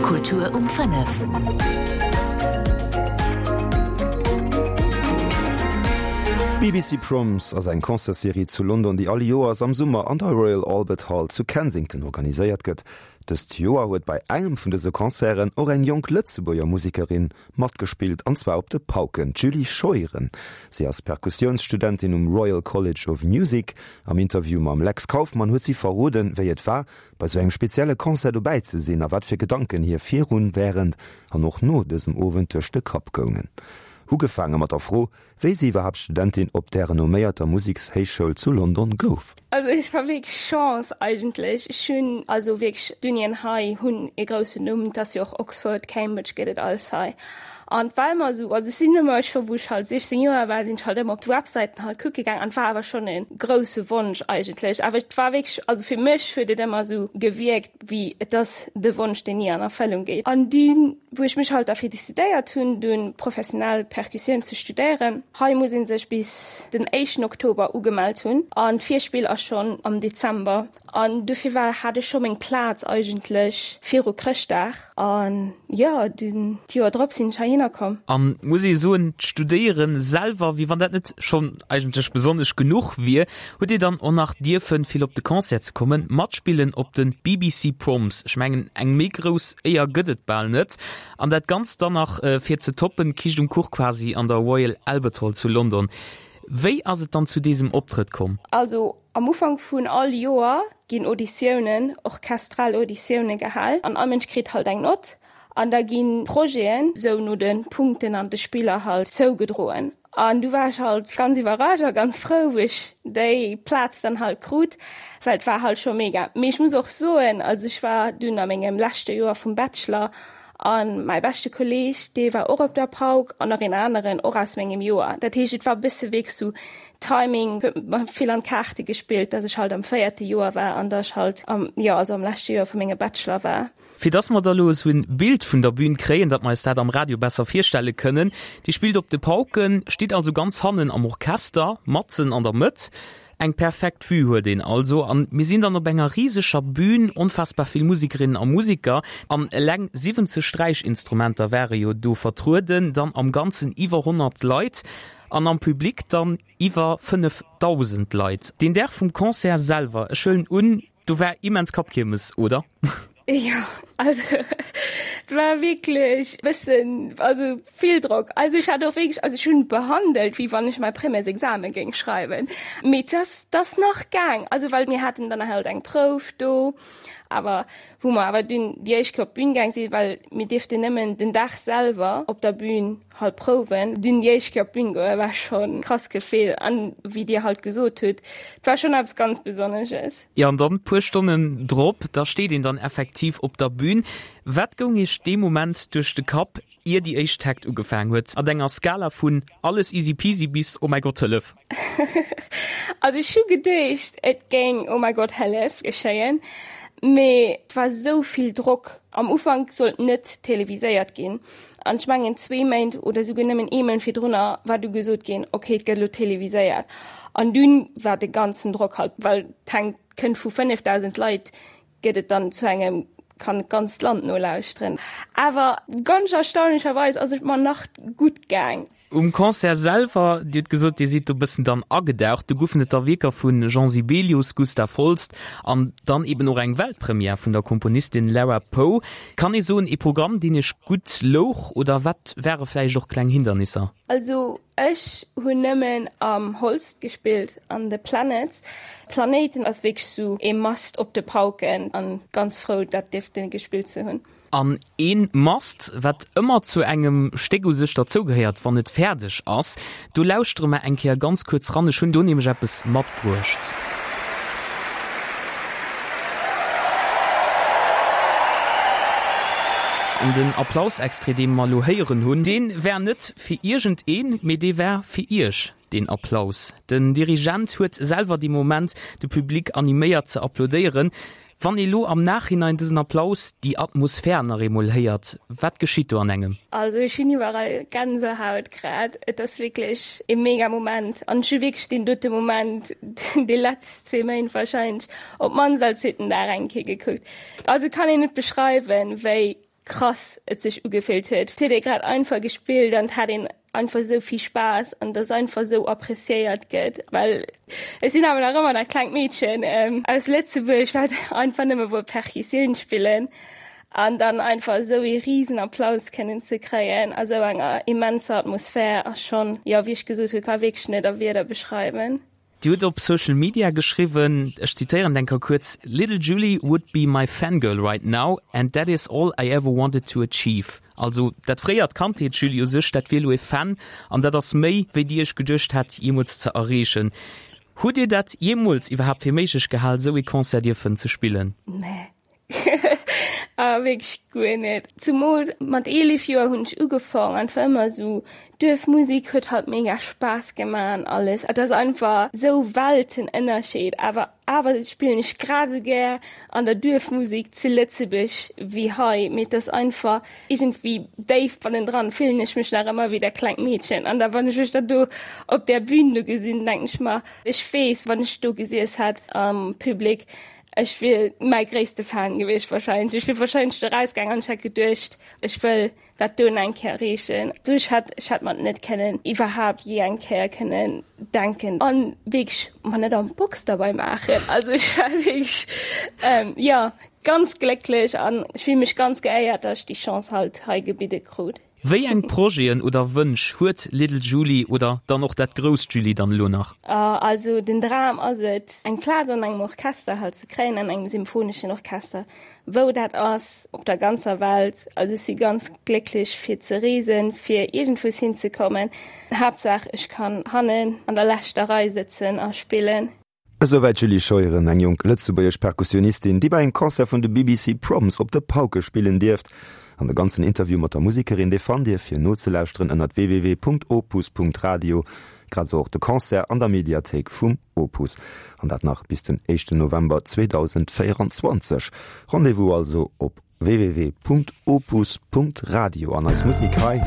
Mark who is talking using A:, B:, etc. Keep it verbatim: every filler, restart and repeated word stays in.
A: Kultur um fënnef.
B: B B C Proms ass eng Concertsserie zu London, déi all Joers am Summer an der Royal Albert Hall zu Kensington organiséiert gëtt. Dëst Joer huet bei engem vun dëse Concerten och eng jonk Lëtzebuerger Musekerin matgespillt, an zwar op de Pauken, d'Julie Scheuren. Si ass Perkussiounsstudentin um Royal College of Music. Am Interview mam Lex Kauffmann huet si verroden, wéi et war, bei sou engem spezielle Concert dobäi ze sinn a wat fir Gedanken hir virun, wärend an och no dësem Owend duerch de Kapp goungen. Ugefaange mat der Fro, wéi si iwwerhaapt Studentin op där renomméierter Musekshéichschoul zu London gouf.
C: Also et war wierklech Chance eigentlech. Ech hunn also wierklech d'Unien hei hunn e groussen Numm, et ass jo och Oxford, Cambridge gëtt et alles hei. An et war ëmmer esou, also ech sinn ëmmer, ech war wou ech halt siechzéng Joer war, sinn ech halt ëmmer op d'Websäiten halt kucke gaang an et war awer schonn e grousse Wonsch eigentlech. Awer et war wierklech, also fir mech huet et ëmmer esou gewierkt wéi et ass de Wonsch deen ni an Erfëllung geet. An dunn wou ech mech halt derfir decidéiert hunn, dunn professionell Perkussioun ze studéieren, hei muss ee sech bis den éischten Oktober ugemellt hunn an d'Virspill ass schonn am Dezember an dofir war hat ech scho meng Plaz eigentlech viru Chrëschtdag an jo, dunn d'Joer drop sinn ech heihinner komm.
D: An muss ee soen, d'Studéieren selwer, wéi wann dat net schonn eigentlech besonnesch genuch wier, hutt Dir dann och nach dierfen, vill op de Concert ze kommen, matspillen op de B B C Proms. Ech mengen, eng méi grouss Éier gëtt et bal net. An dat Ganzt dann nach fir ze toppen, Kiischt um Kuch quasi an der Royal Albert Hall zu London. Wéi ass et dann zu désem Optrëtt komm?
C: Also am Ufank vun all Joer ginn Auditiounen, orchestral Auditioune gehal an all Mënsch kritt halt eng Nott an da ginn Projeten sou no de Punkten an de Spiller halt zougedroen. An du war ech halt ganz iwwerrascht a ganz frou, wou ech déi Plaz dann halt krut, well et war halt scho mega. Mee ech muss och soen, also ech war dunn a mengem leschte Joer vum Bachelor an mäi beschte Kolleeg, dee war och op der Pauk an nach een aneren och aus mengem Joer. Dat heescht, et war e bësse wierklech sou Timing huet mer vill an d'Kaarte gespillt, dass ech halt am véierte Joer war an dass ech halt am, jo, also am leschte Joer vu mengem Bachelor war.
D: Fir dass mer da elo esou en Bild vun der Bühn kréien, datt mer eis dat am Radio besser virstelle kënnen, Dir spillt op de Pauken, stitt also ganz hannen am Orchester, matzen an der Mëtt. Eng perfekt Vue huet een also an mir sinn dann op enger riseger Bühn, onfassbar vill Musikerinnen a Musiker an eleng siwwenzeg Sträichinstrumenter ware jo do vertrueden, dann am Ganzen iwwer honnert Leit an am Public dann iwwer fënnefdausend Leit. Den Dag vum Concert selwer, ech huelen un, do war immens Kappkiermes, oder?
C: Jo, also et war wierklech bëssen, also vill Drock. Also ech hat och wierklech, also ech hunn behandelt, wéi wann ech mäi Premièresexamen géing schreiwen. Mee et ass, et ass nach gaang, also well mir haten dann halt eng Prouf do, awer wou mer awer dunn déi éischt Kéier op d'Bün gaang sinn, well mir dierften nëmmen den Dag selwer op der Bün halt prouwen, dunn déi éischt Kéier op d'Bün goe war schonn e krass Gefill an wéi Dir halt gesot hutt, et war schonn eppes ganz Besonnesches.
D: Jo, an dann puer Stonnen drop, da steet een dann effektiv op der Bühn. Wat goung Iech dee Moment duerch de Kapp, ier déi éischt Takt ugefaangen huet, an enger Skala vun alles easy peasy bis oh mäi Gott hëllef?
C: Also ech hu geduecht, et géing oh mäi Gott hëllef geschéien, mee et war esou vill Drock. Am Ufank sollt net televiséiert ginn an ech mengen zwee Méint oder souguer nëmmen ee Mount virdrunner war du gesot ginn, okay et gëtt elo televiséiert an dunn war de ganzen Drock halt, well et hänkt kënnt vu fënnefdausend Leit gëtt et dann zu engem kann d'ganzt Land nolauschteren. Awer ganz erstaunlecherweis ass et mer nach gutt gaang.
D: Um Concert selwer, Dir hutt gesot, Dir sidd do bëssen dann agedaucht, do goufen et da Wierker vu Jean Sibelius, Gustav Holst an dann eben och eng Weltpremière vun der Komponistin Lara Poe. Kann ee soen, ee Programm, deen Iech gutt louch oder wat ware vläicht och kleng Hindernisser?
C: Also ech hunn nëmmen am Holst gespillt an The Planets. Planeten ass wierklech sou ee Must op de Pauken an ganz frou dat dierften gespillt ze hunn.
D: An een Must, wat ëmmer zu engem Stéck u sech derzougehéiert, wann et fäerdeg ass, do lauschtere mer eng Kéier ganz kuerz ran. Ech hunn do nämlech eppes matbruecht. An den Applaus-Extrait, dee mer elo héieren hunn, dee war net fir iergend een, mee dee war fir Iech, deen Applaus. Den Dirigent huet selwer dee Moment de Public animéiert ze applaudéieren. Wann ee lo am Nachhinein dësen Applaus, déi Atmosphär nach eemol héiert, wat geschitt do an engem?
C: Also ech hunn iwwerall Gänsehaut grad. Et ass wierklech e mega Moment an ech hu wierklech deen dote Moment déi letzt zwee Méint wahrscheinlech op d'mannst all zweeten Dag eng Kéier gekuckt. Also kann een net beschreiwen, wéi krass et sech ugefillt huet. Et huet ee grad einfach gespillt an et hat een einfach esou vill Spaass an dass einfach esou appreciéiert gëtt, well ech sinn awer nach ëmmer dat klengt Meedchen aus Lëtzebuerg, wat einfach nëmme wollt Percussioun spillen an dann einfach esou ee risen Applaus kënnen ze kréien a sou enger immenser Atmosphär ass schonn, jo, wéi ech gesot hunn, ka wierklech net a Wierder beschreiwen.
D: Dir hutt op Social Media geschriwwen, ech zitéieren eng Kéier kuerz, Little Julie would be my fangirl right now and that is all I ever wanted to achieve. Also dat fréiert Kandheetsjulie u sech, dat wier elo e Fan an dat ass méi, wéi Dir Iech geduecht hat jeemools ze erreechen. Hutt Dir dat jeemools iwwerhaapt fir méiglech gehal, esou ee Concert dierfen ze spillen?
C: Nee. Ah, wierklech guer net. Zumools mat eelef Joer hunn ech ugefaang, einfach ëmmer esou Duerfmusik huet halt mega Spaass gemaach an alles. Et ass einfach esou Weltenënnerscheed. Awer awer spillen ech grad esou gär an der Duerfmusik zu Lëtzebuerg wéi hei. Mee et ass einfach iergendwéi déif bannendran fillen ech mech nach ëmmer wéi dat klengt Meedchen. An da wann ech mech da do op där Bühn do gesinn, denken ech mer, ech weess, wann ech do gesiess hätt am Public, Ech wier mäi gréisste Fan gewiescht wahrscheinlech. Ech wier wahrscheinlech do rausgaang an ech hätt geduecht, ech wëll dat doen eng Kéier erreechen. Sou ech hätt, ech hätt mer et net kënnen iwwerhaapt jee eng Kéier kënnen denken an wierklech mer net an d'Box derbei maachen. Also ech war wierklech, jo, ganz glécklech an ech fill mech ganz geéiert, dass ech déi Chance halt hei gebidde krut.
D: Wéi eng Projeten oder Wënsch huet Little Julie oder dann och dat grousst Julie dann elo nach?
C: Also den Dram ass et, eng Plaz an engem Orchester halt ze kréien, an engem symphoneschen Orchester, wou dat ass, op der ganzer Welt. Also ech si ganz glécklech fir ze reesen, fir iergendwous hinzekommen. Haaptsaach ech kann hannen an der leschter Rei sëtzen a spillen.
B: Esouwäit d'Julie Scheuren, eng jonk lëtzebuergesch Perkussionistin, déi bei engem Concert vun de B B C Proms op de Pauke spillen dierft. An de ganzen Interview mat der Musekerin, dee fannt Dir fir nozelauschteren ënnert w w w Punkt opus Punkt radio, grad esou och de Concert an der Mediathéik vum Opus. An dat nach bis den éischten November zweedausendvéierenzwanzeg. Rendez-vous also op w w w Punkt opus Punkt radio an eis Musek hei.